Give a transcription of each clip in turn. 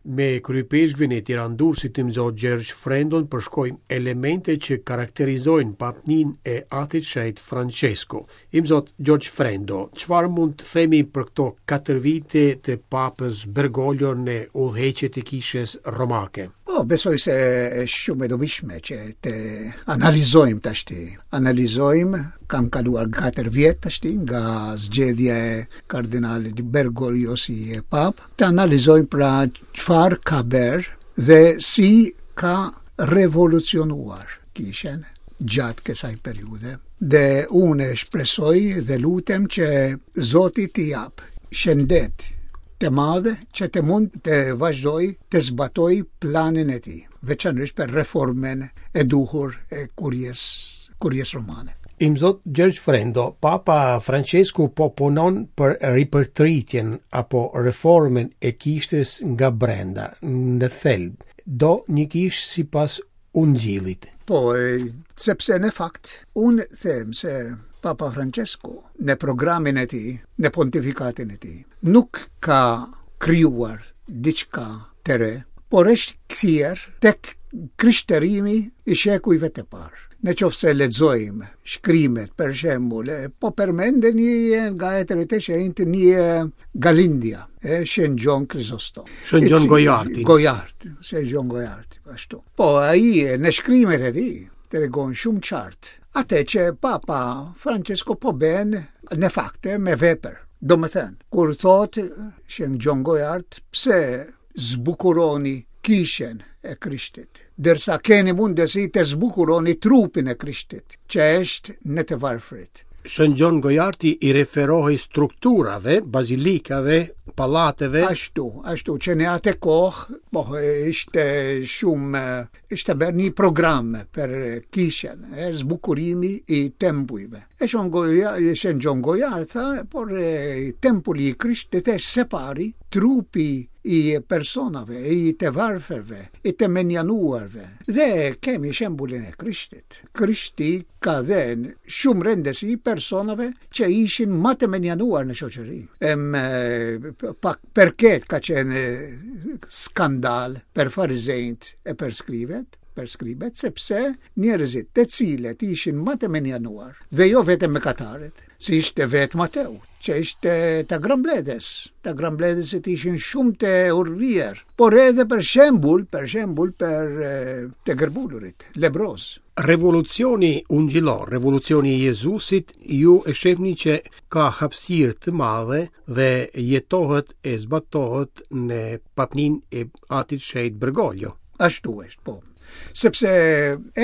Me kryeipeshkvin e Tiranë-Durrësit Imzot Gjergj Frendon përshkojmë elemente që karakterizojnë papninë e Atit Shenjt Françesku. Imzot Gjergj Frendo, çfarë mund të themi për këto 4 vite të Papës Bergoglio në udhëheqje të Kishës Romake? Po, besoj se është shumë e dobishme që të analizojmë tashti. Analizojmë, kam kaluar 4 vjet tashti nga zgjedhja e kardinalit Bergoglio si papë, Të analizojmë pra çfarë ka bërë dhe si ka revolucionuar kishën gjatë kësaj periudhe. Dhe unë shpresoj dhe lutem që Zoti t'i japë shëndet të madhe që të mund të vazhdojë të zbatojë planin e tij, veçanërisht për reformën e duhur e kuries, kuries romane. Imzot Gjergj Frendo, Papa Françesku po punon për ripërtëritjen apo reformën e kishës nga brenda, në thelb. Do një kishë sipas ungjillit. Po, e, sepse në fakt, unë them se Papa Francesku në programin e tij, në pontifikatin e tij, nuk ka krijuar diçka të re, por është kthyer tek krishterimi i shekujve të parë. Në qoftë se lexojmë shkrimet, për shembull, po përmend një nga etërit e shenjtë një nga Lindja, e Shën Gjon Krizostom. Shën Gjon Gojarti. Gojart, Shën Gjon Gojarti, ashtu. Po ai në shkrimet e tij tregon shumë qartë atë që Papa Francesco po bën në fakte me vepër. Domethënë, kur thotë Shën Gjon Gojart, pse zbukuroni kishën e Krishtit, ndërsa keni mundësi të zbukuroni trupin e Krishtit, që është në të varfrit. Shën Gjon Gojarti i referohej strukturave, bazilikave, pallateve. Ashtu, ashtu, që në atë kohë, po, ishte shumë, ishte bërë një program për kishën, e zbukurimi i tempujve. E Shën Goja, Shën Gjon Gojart, tha, por e, tempulli i Krishtit është së pari trupi i personave, i të varfërve, i të mënjanuarve. Dhe kemi shembullin e Krishtit. Krishti ka dhënë shumë rëndësi personave që ishin më të mënjanuar në shoqëri. Em, pak për këtë ka qenë skandal për farizenjtë e për skribet, për skribet, sepse njerëzit të cilët ishin më të mënjanuar, dhe jo vetëm mëkatarët, si ishte vetë Mateu, që ishte të grambledes. Të grambledesit ishin shumë të urryer, por edhe për shembull, për shembull për të gërbulurit, lebroz. Revolucioni ungjillor, revolucioni i Jezusit, ju e shihni që ka hapësirë të madhe dhe jetohet e zbatohet në papninë e Atit Shenjt Bergoglio. Ashtu është, po. Sepse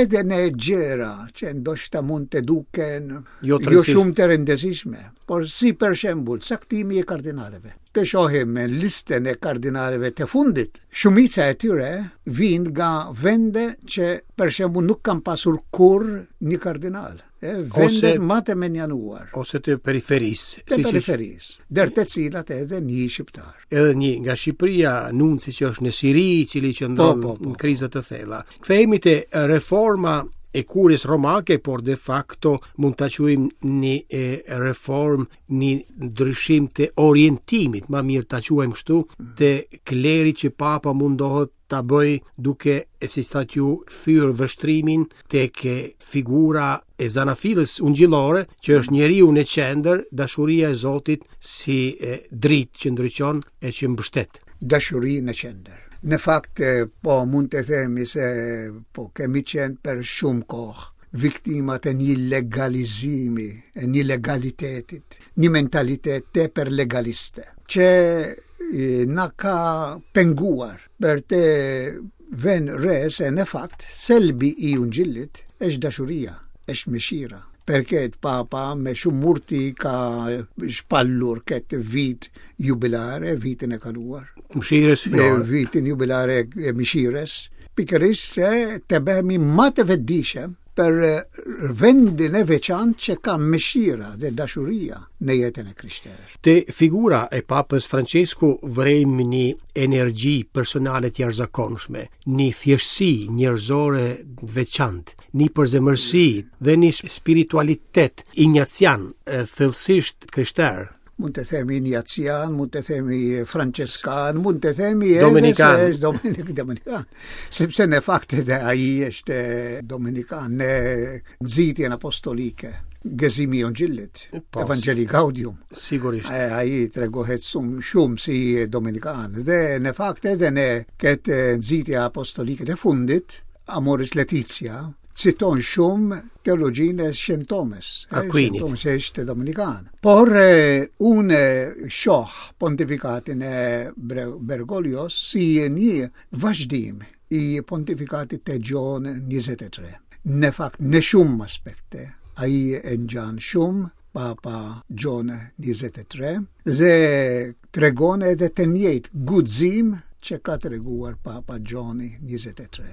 edhe në gjëra që ndoshta mund të duken jo, jo shumë të rëndësishme, por si për shembull caktimi i kardinaleve. Të shohim listën e kardinaleve të fundit, shumica e tyre vijnë nga vende që për shembull nuk kanë pasur kurrë një kardinal. E, vendet ma të mënjanuar. Ose të periferisë. Të periferisë, ndër të cilat edhe një shqiptar. Edhe një nga Shqipëria, nunci që është në Siri, i cili qëndron po, po, po, në kriza të thella. Kthehemi te reforma e kuries romake, por de facto mund ta quajmë një e, reformë, një ndryshim të orientimit, ma mirë ta quajmë kështu, të klerit që papa mundohet ta bëjë duke e siç thatë ju kthyer vështrimin tek figura e zanafillës ungjillore që është njeriu në qendër, dashuria e Zotit si e, dritë që ndriçon e që mbështet. Dashuri në qendër. Në fakt po mund të themi se po kemi qenë për shumë kohë viktimat e një legalizimi, e një legalitetit, një mentalitet tepër legaliste, që na ka penguar për të vënë re se në fakt thelbi i ungjillit është dashuria, është mëshira. Për këtë papa me shumë urti ka shpallur këtë vit jubilare, vitin e kaluar. Mëshirës hyjnore. Vitin jubilare e mëshirës, pikërisht se të bëhemi ma të vetëdijshëm për vendin e veçantë që ka mëshira dhe dashuria në jetën e krishterë. Te figura e Papës Francesku vërejmë një energji personale të jashtëzakonshme, një thjeshtësi njerëzore të veçantë, një përzemërsi dhe një spiritualitet injacian, thellësisht krishterë. Mund të themi injacian, mund të themi franceskan, mund të themi edhe dominikan. se është dominik, dominikan. Sepse në fakt edhe ai është dominikan në nxitjen apostolike. Gëzimi i Ungjillit, po, Evangelii Gaudium. Sigurisht. Ai tregohet shumë, shumë si dominikan. Dhe në fakt edhe në këtë nxitje apostolike të fundit, Amoris Laetitia, citon shumë teologjinë e Shën Tomës, Aquinit. Shën Tomës që është dominikan. Por e, unë shoh pontifikatin e Bergoglios si një vazhdim i pontifikatit të Gjon 23. Në fakt, në shumë aspekte, ai e ngjan shumë Papa Gjon 23 dhe tregon edhe të njëjtë guxim që ka treguar Papa Gjoni 23.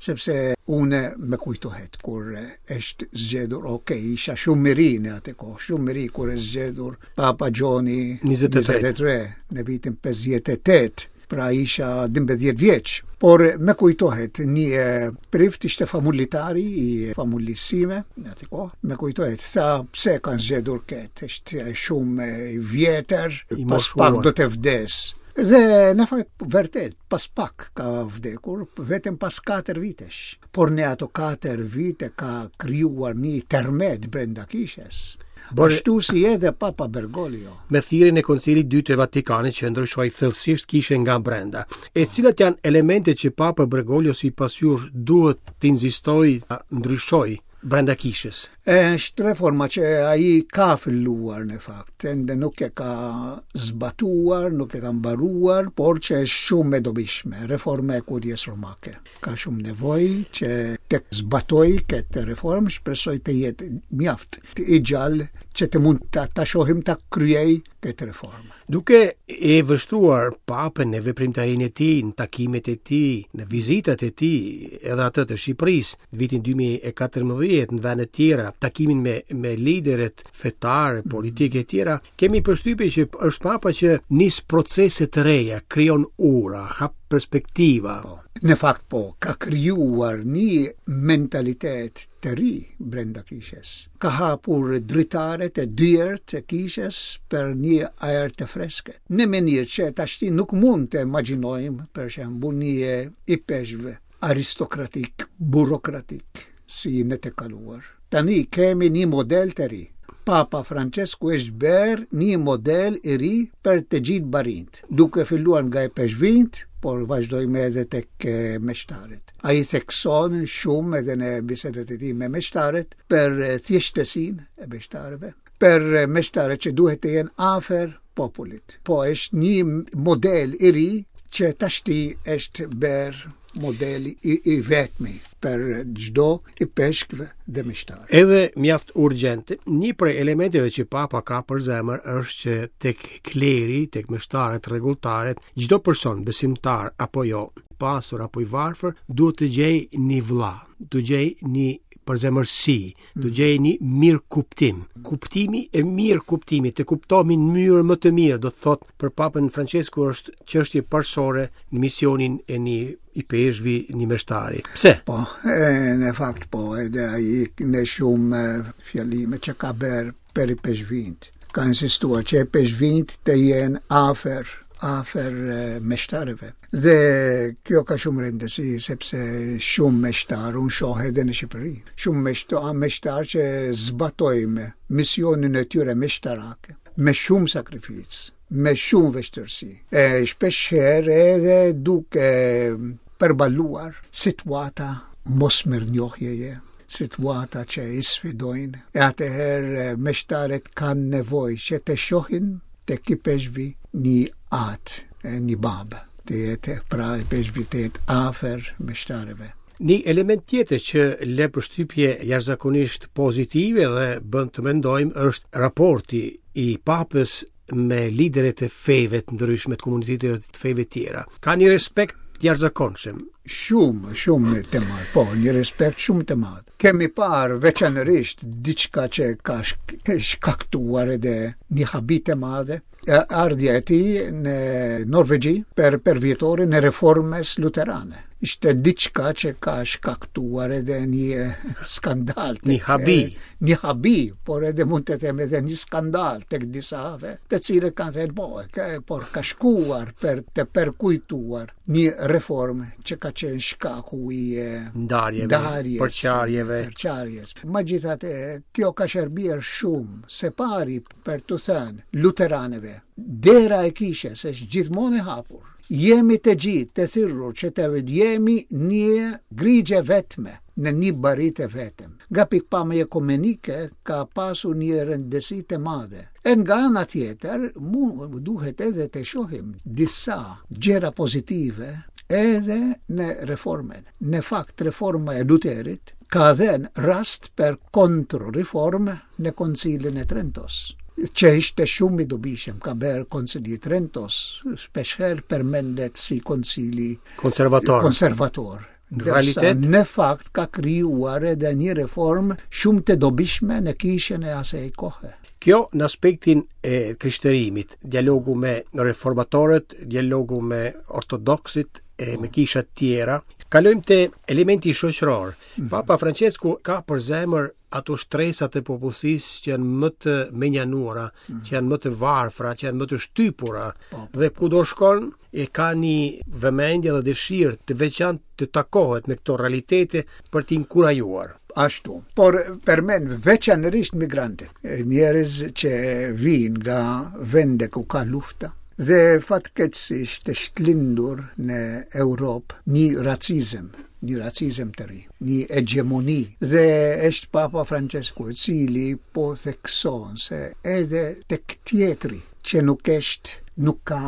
Sepse unë më kujtohet kur është zgjedhur, ok, isha shumë i ri në atë kohë, shumë i ri kur është zgjedhur Papa Gjoni 23, 23 në vitin 58 pra isha 12 vjeç, por më kujtohet një prift ishte famullitari i famullisë sime në atë kohë, më kujtohet, tha pse kanë zgjedhur këtë, është shumë i vjetër, pas pak do të vdes. Dhe në fakt vërtet, pas pak ka vdekur, vetëm pas 4 vitesh. Por në ato 4 vite ka krijuar një tërmet brenda kishës. Por Ashtu si edhe Papa Bergoglio. Me thirrjen e Koncilit të Dytë të Vatikanit që ndryshoi thellësisht kishën nga brenda. E cilat janë elementet që Papa Bergoglio sipas jush duhet të insistojë ta ndryshojë brenda kishës? Është reforma që ai ka filluar në fakt, ende nuk e ka zbatuar, nuk e ka mbaruar, por që është shumë e dobishme, reforma e kuries romake. Ka shumë nevojë që të zbatojë këtë reformë, shpresoj të jetë mjaft i gjallë që të mund ta, ta shohim ta kryejë këtë reformë. Duke e vështruar papën në veprimtarinë e tij, në takimet e tij, në vizitat e tij, edhe atë të Shqipërisë, në vitin 2014 në vende të tjera, takimin me me liderët fetarë, mhm. politikë e tjera, kemi përshtypjen që është papa që nis procese të reja, krijon ura, hap perspektiva. Po. Në fakt po, ka krijuar një mentalitet të ri brenda kishës. Ka hapur dritaret e dyert e kishës për një ajër të freskët. Në mënyrë që tashti nuk mund të imagjinojmë, për shembull, një ipeshkv aristokratik, burokratik, si në të kaluar. Tani kemi një model të ri. Papa Francesku është bërë një model i ri për të gjithë barinjtë, duke filluar nga ipeshkvinjtë, por vazhdojmë edhe tek meshtarët. Ai thekson shumë edhe në bisedat e tij me meshtarët për thjeshtësinë e meshtarëve, për meshtarët që duhet të jenë afër popullit. Po është një model i ri që tashti është bërë modeli i, i vetmi për çdo ipeshkv dhe meshtar. Edhe mjaft urgjent, një prej elementeve që papa ka për zemër është që tek kleri, tek meshtarët, rregulltarët, çdo person besimtar apo jo, pasur apo i varfër, duhet të gjejë një vëlla, të gjejë një përzemërsi, të gjejë një mirëkuptim. Kuptimi e mirëkuptimi, të kuptohemi në mënyrë më të mirë, do të thotë për Papën Francesku është çështje parësore në misionin e një ipeshkvi, një meshtari. Pse? Po, e, në fakt po, edhe ai në shumë fjalime që ka bërë për ipeshkvinjtë. Ka insistuar që ipeshkvinjtë të jenë afër afër meshtarëve. Dhe kjo ka shumë rëndësi sepse shumë meshtarë unë shoh edhe në Shqipëri. Shumë meshtarë, meshtarë që zbatojnë misionin e tyre meshtarak me shumë sakrificë, me shumë vështirësi. E shpesh herë edhe duke përballuar situata mosmirënjohjeje, situata që i sfidojnë, e atëherë meshtarët kanë nevojë që të shohin tek ipeshkvi një atë, një babë, të jetë pra ipeshkvi të jetë afër meshtarëve. Një element tjetër që lë përshtypje jashtëzakonisht pozitive dhe bën të mendojmë është raporti i papës me liderët e feve të ndryshme të komuniteteve të feve të tjera. Ka një respekt të jashtëzakonshëm. Shumë, shumë të madh, po, një respekt shumë të madh. Kemi parë veçanërisht diçka që ka shkaktuar edhe një habi të madhe, ardhja e tij në Norvegji për përvjetorin e reformës luterane. Ishte diçka që ka shkaktuar edhe një skandal. Një habi. Një habi, por edhe mund të them edhe një skandal tek disave, të cilët kanë thënë po, por ka shkuar për të përkujtuar një reformë që ka qenë shkaku i ndarjeve, ndarjes, përçarjeve. Përçarjes. Megjithatë, kjo ka shërbyer shumë, së pari për t'u thënë luteranëve, dera e kishës është gjithmonë e hapur. Jemi të gjithë të thirrur që të jemi një grigjë e vetme në një bari të vetëm. Nga pikëpamja ekumenike ka pasur një rëndësi të madhe. E nga ana tjetër, mu duhet edhe të shohim disa gjëra pozitive edhe në reformën. Në fakt, reforma e Luterit ka dhënë rast për kontrreformë në Koncilin e Trentos, që ishte shumë i dobishëm, ka bërë Koncili i Trentos, shpeshherë përmendet si koncili konservator. konservator. Në realitet, në fakt ka krijuar edhe një reformë shumë të dobishme në kishën e asaj kohe. Kjo në aspektin e krishterimit, dialogu me reformatorët, dialogu me ortodoksët e me kishat tjera. Kalojmë te elementi shoqëror. Mhm. Papa Francesku ka për zemër ato shtresat e popullsisë që janë më të menjanuara, mm. që janë më të varfra, që janë më të shtypura po, po, dhe po. kudo shkon e ka një vëmendje dhe dëshirë të veçantë të takohet me këto realitete për t'i inkurajuar. Ashtu. Por përmend veçanërisht migrantët, njerëz që vijnë nga vende ku ka lufta, dhe fatkeqësisht është lindur në Europë një racizëm, një racizëm të ri, një hegjemoni. Dhe është Papa Francesku i cili po thekson se edhe tek tjetri që nuk është, nuk ka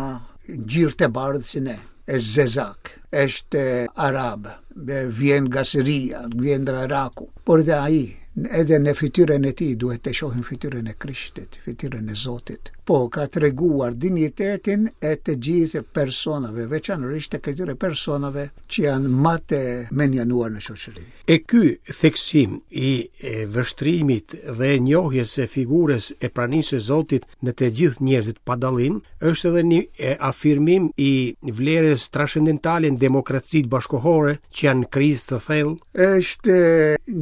ngjyrë të bardhë si ne, është zezak, është arab, vjen nga Siria, vjen nga Iraku, por edhe ai, edhe në fytyrën e tij duhet të shohim fytyrën e Krishtit, fytyrën e Zotit. Po ka treguar dinjitetin e të gjithë personave, veçanërisht të këtyre personave që janë më të mënjanuar në shoqëri. E ky theksim i vështrimit dhe njohjes së figurës e pranisë së Zotit në të gjithë njerëzit pa dallim, është edhe një afirmim i vlerës transcendentale në demokracitë bashkëkohore që janë në krizë të thellë. Është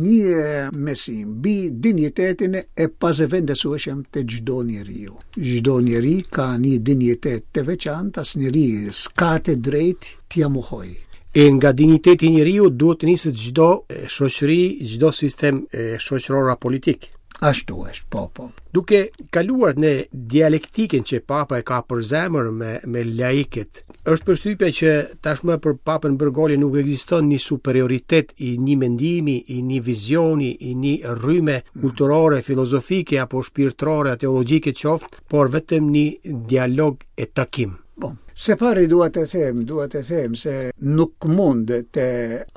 një mësim mbi dinjitetin e pazëvendësueshëm të çdo njeriu. Çdo njeri ka një dinjitet të veçantë, asnjeri s'ka të drejtë t'ia mohojë. E nga dinjiteti i njeriut duhet të niset çdo shoqëri, çdo sistem shoqëror a politik. Ashtu është, po, po. Duke kaluar në dialektikën që Papa e ka për zemër me, me laikët, është përshtypja që tashmë për Papën Bergoglio nuk ekziston një superioritet i një mendimi, i një vizioni, i një rryme kulturore, filozofike apo shpirtërore, teologjike qoftë, por vetëm një dialog e takim. Po, së pari dua të them, dua të them se nuk mund të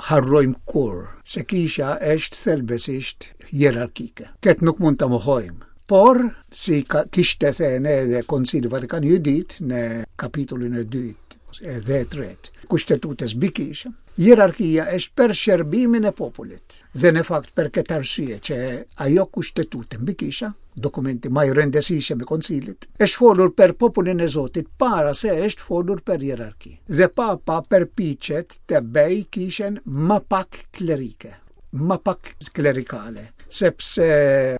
harrojmë kurrë se kisha është thelbësisht hierarkike. Këtë nuk mund ta mohojmë. Por, si ka, kishte thënë edhe Koncili Vatikan i dytë në kapitullin e dytë edhe e tretë, kushtetutës mbi kishën, hierarkia është për shërbimin e popullit. Dhe në fakt për këtë arsye që ajo kushtetutë mbi kisha, dokumenti më i rëndësishëm i koncilit, është folur për popullin e Zotit para se është folur për hierarki. Dhe papa përpiqet të bëjë kishën më pak klerike, më pak klerikale, sepse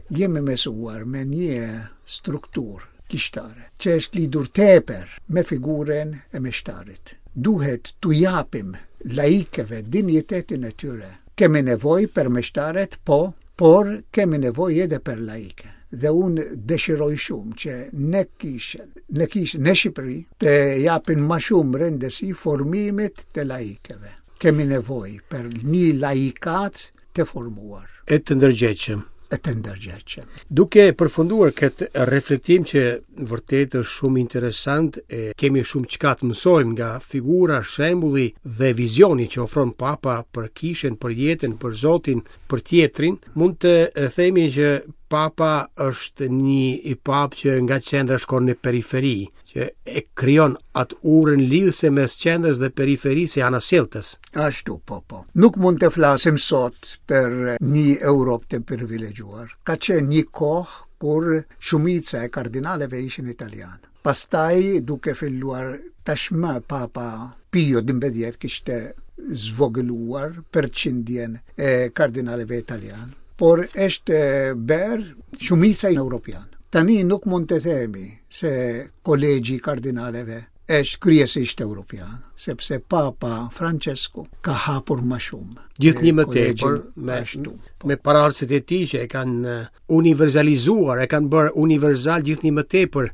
jemi mësuar me një strukturë kishtare, që është lidhur tepër me figurën e meshtarit. Duhet t'u japim laikëve dinjitetin e tyre. Kemi nevojë për meshtarët, po, por kemi nevojë edhe për laikë. Dhe unë dëshiroj shumë që në kishën, në kishën në Shqipëri të japin më shumë rëndësi formimit të laikëve. Kemi nevojë për një laikat të formuar. E të ndërgjegjshëm. E të ndërgjegjshëm. Duke përfunduar këtë reflektim që vërtet është shumë interesant, e kemi shumë çka të mësojmë nga figura, shembulli dhe vizioni që ofron Papa për kishën, për jetën, për Zotin, për tjetrin, mund të themi që Papa është një i papë që nga qendra shkon në periferi, që e krijon atë urën lidhëse mes qendrës dhe periferisë e anasjelltas. Ashtu, po, po. Nuk mund të flasim sot për një Europë të privilegjuar. Ka qenë një kohë kur shumica e kardinaleve ishin italianë. Pastaj, duke filluar tashmë Papa Pio XII kishte zvogëluar përqindjen e kardinaleve italianë, por është bërë shumica europian. Tani nuk mund të themi se kolegji i kardinaleve është kryesisht europian, sepse Papa Francesco ka hapur më shumë. Gjithnjë më tepër me ashtu, po. me paraardhësit e tij që e kanë universalizuar, e kanë bërë universal gjithnjë më tepër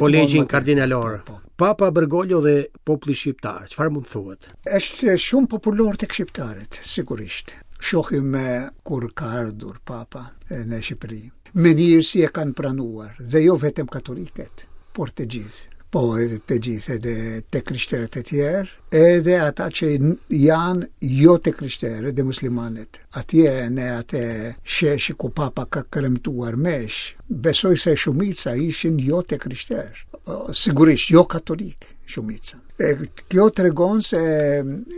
kolegjin kardinalor. Po, po. Papa Bergoglio dhe populli shqiptar, çfarë mund të thuhet? Është shumë popullor tek shqiptarët, sigurisht. Shohim kur ka ardhur Papa në Shqipëri. Mënyrë si e kanë pranuar, dhe jo vetëm katolikët, por të gjithë. Po, edhe të gjithë, edhe të krishterët e tjerë, edhe ata që janë jo të krishterë, edhe muslimanët. Atje në atë shesh ku papa ka kremtuar meshë, besoj se shumica ishin jo të krishterë, sigurisht jo katolikë shumica. E, kjo tregon se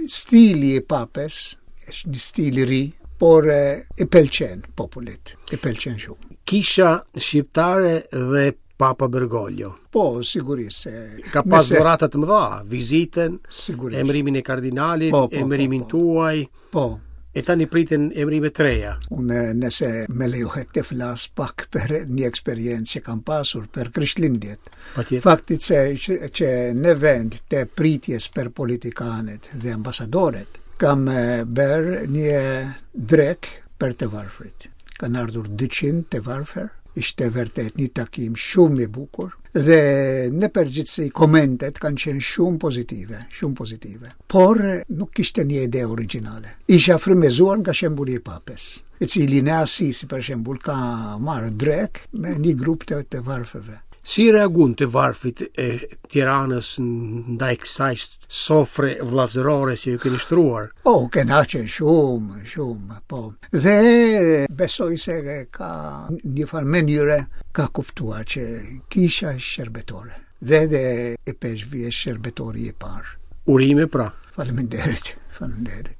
stili i papës është një stil i ri, por e, i pëlqen popullit, i pëlqen shumë. Kisha shqiptare dhe Papa Bergoglio. Po, sigurisht se ka pas dhurata të mëdha, vizitën, sigurisht. emërimin e kardinalit, po, po, po emërimin po, po. tuaj. Po. E tani priten emërime të reja. Unë nëse më lejohet të flas pak për një eksperiencë që kam pasur për Krishtlindjet. Fakti se që, që në vend të pritjes për politikanët dhe ambasadorët, kam bërë një drekë për të varfrit. Kanë ardhur 200 të varfër, ishte vërtet një takim shumë i bukur dhe në përgjithësi komentet kanë qenë shumë pozitive, shumë pozitive. Por nuk kishte një ide origjinale. Isha frymëzuar nga shembulli i Papës, i cili në Asisi për shembull ka marrë drekë me një grup të të varfërve. Si reaguan të varfrit e Tiranës ndaj kësaj sofre vëllazërore që ju keni shtruar? Oh, kënaqen shumë, shumë, po. Dhe besoj se ka një farë mënyre ka kuptuar që kisha është shërbëtore. Dhe dhe ipeshkvi është shërbëtori i parë. Urime pra. Faleminderit, faleminderit.